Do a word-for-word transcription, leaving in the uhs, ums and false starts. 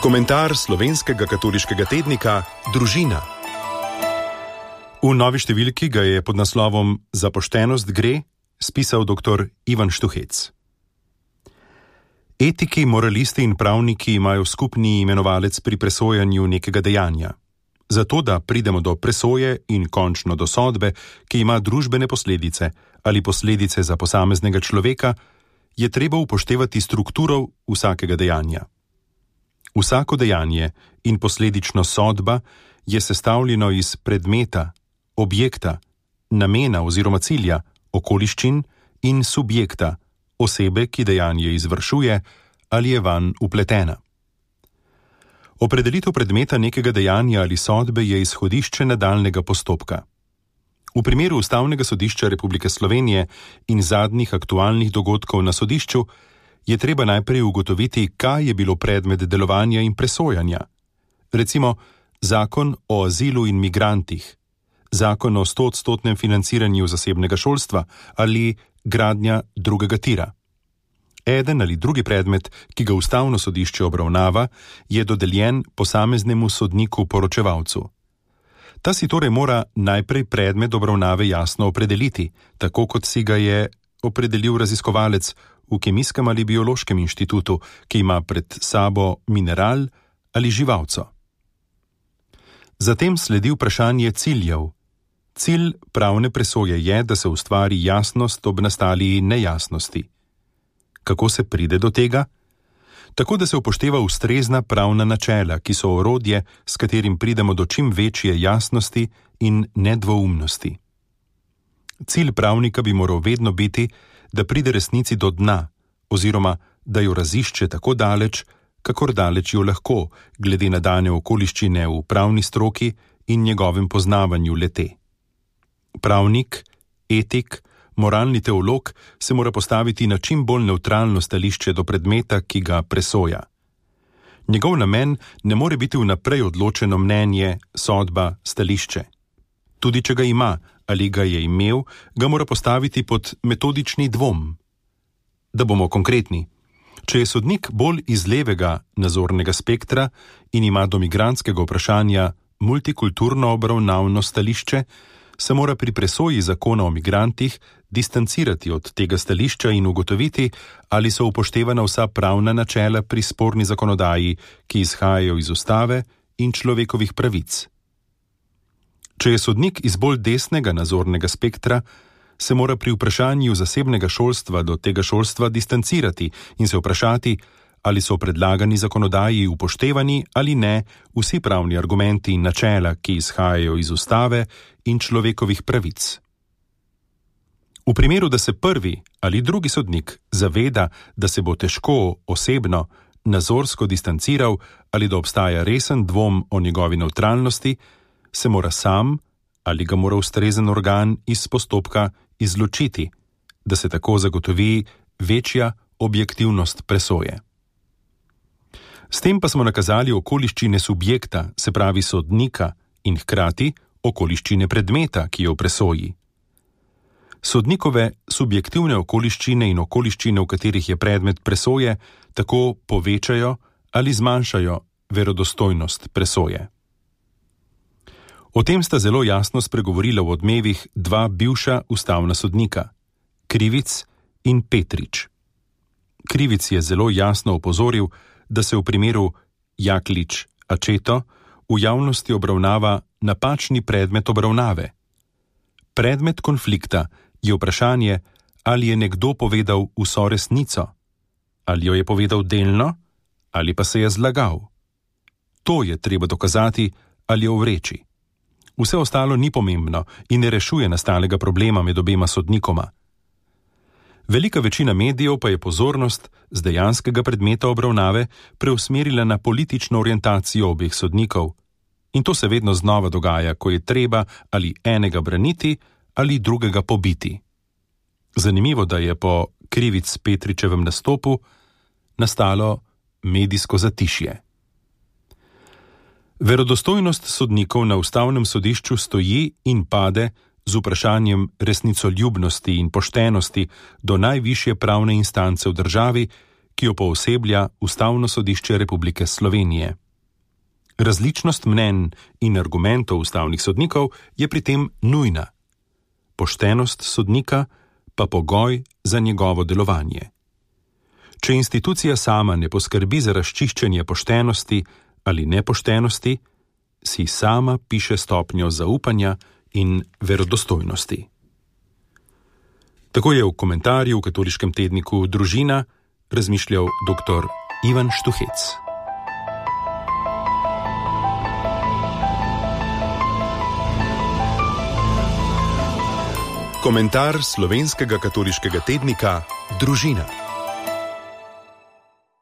Komentar slovenskega katoliškega tednika Družina. V novi številki ga je pod naslovom Za poštenost gre spisal doktor Ivan Štuhec. Etiki, moralisti in pravniki imajo skupni imenovalec pri presojanju nekega dejanja. Zato, da pridemo do presoje in končno do sodbe, ki ima družbene posledice ali posledice za posameznega človeka, je treba upoštevati strukturo vsakega dejanja. Vsako dejanje in posledično sodba je sestavljeno iz predmeta, objekta, namena oziroma cilja, okoliščin in subjekta, osebe, ki dejanje izvršuje ali je vanj vpletena. Opredelitev predmeta nekega dejanja ali sodbe je izhodišče nadaljnjega postopka. V primeru Ustavnega sodišča Republike Slovenije in zadnjih aktualnih dogodkov na sodišču je treba najprej ugotoviti, kaj je bilo predmet delovanja in presojanja. Recimo, zakon o azilu in migrantih, zakon o stoodstotnem financiranju zasebnega šolstva ali gradnja drugega tira. Eden ali drugi predmet, ki ga Ustavno sodišče obravnava, je dodeljen posameznemu sodniku poročevalcu. Ta si torej mora najprej predmet obravnave jasno opredeliti, tako kot si ga je opredelil raziskovalec v Kemijskem ali Biološkem inštitutu, ki ima pred sabo mineral ali živalco. Zatem sledi vprašanje ciljev. Cilj pravne presoje je, da se ustvari jasnost ob nastali nejasnosti. Kako se pride do tega? Tako, da se upošteva ustrezna pravna načela, ki so orodje, s katerim pridemo do čim večje jasnosti in nedvoumnosti. Cilj pravnika bi moral vedno biti, da pride resnici do dna, oziroma da jo razišče tako daleč, kakor daleč jo lahko, glede na dane okoliščine v pravni stroki in njegovem poznavanju le-te. Pravnik, etik, moralni teolog se mora postaviti na čim bolj nevtralno stališče do predmeta, ki ga presoja. Njegov namen ne more biti vnaprej odločeno mnenje, sodba, stališče. Tudi če ga ima ali ga je imel, ga mora postaviti pod metodični dvom. Da bomo konkretni. Če je sodnik bolj iz levega nazornega spektra in ima do migrantskega vprašanja multikulturno obravnavno stališče, se mora pri presoji zakona o migrantih distancirati od tega stališča in ugotoviti, ali so upoštevana vsa pravna načela pri sporni zakonodaji, ki izhajajo iz ustave in človekovih pravic. Če je sodnik iz bolj desnega nazornega spektra, se mora pri vprašanju zasebnega šolstva do tega šolstva distancirati in se vprašati, ali so predlagani zakonodaji upoštevani ali ne vsi pravni argumenti in načela, ki izhajajo iz ustave in človekovih pravic. V primeru, da se prvi ali drugi sodnik zaveda, da se bo težko osebno, nazorsko distanciral ali da obstaja resen dvom o njegovi nevtralnosti, se mora sam ali ga mora ustrezen organ iz postopka izločiti, da se tako zagotovi večja objektivnost presoje. S tem pa smo nakazali okoliščine subjekta, se pravi sodnika, in hkrati okoliščine predmeta, ki je v presoji. Sodnikove subjektivne okoliščine in okoliščine, v katerih je predmet presoje, tako povečajo ali zmanjšajo verodostojnost presoje. O tem sta zelo jasno spregovorila v Odmevih dva bivša ustavna sodnika, Krivic in Petrič. Krivic je zelo jasno opozoril, da se v primeru Jaklič-Accetto v javnosti obravnava napačni predmet obravnave. Predmet konflikta je vprašanje, ali je nekdo povedal vso resnico, ali jo je povedal delno, ali pa se je zlagal. To je treba dokazati ali ovreči. Vse ostalo ni pomembno in ne rešuje nastalega problema med obema sodnikoma. Velika večina medijev pa je pozornost z dejanskega predmeta obravnave preusmerila na politično orientacijo obeh sodnikov. In to se vedno znova dogaja, ko je treba ali enega braniti ali drugega pobiti. Zanimivo, da je po Krivic Petričevem nastopu nastalo medijsko zatišje. Verodostojnost sodnikov na Ustavnem sodišču stoji in pade z vprašanjem resnicoljubnosti in poštenosti do najvišje pravne instance v državi, ki jo pooseblja Ustavno sodišče Republike Slovenije. Različnost mnenj in argumentov ustavnih sodnikov je pri tem nujna. Poštenost sodnika pa pogoj za njegovo delovanje. Če institucija sama ne poskrbi za razčiščenje poštenosti ali nepoštenosti, si sama piše stopnjo zaupanja in verodostojnosti. Tako je v komentarju v katoliškem tedniku Družina razmišljal dr. Ivan Štuhec. Komentar slovenskega katoliškega tednika Družina.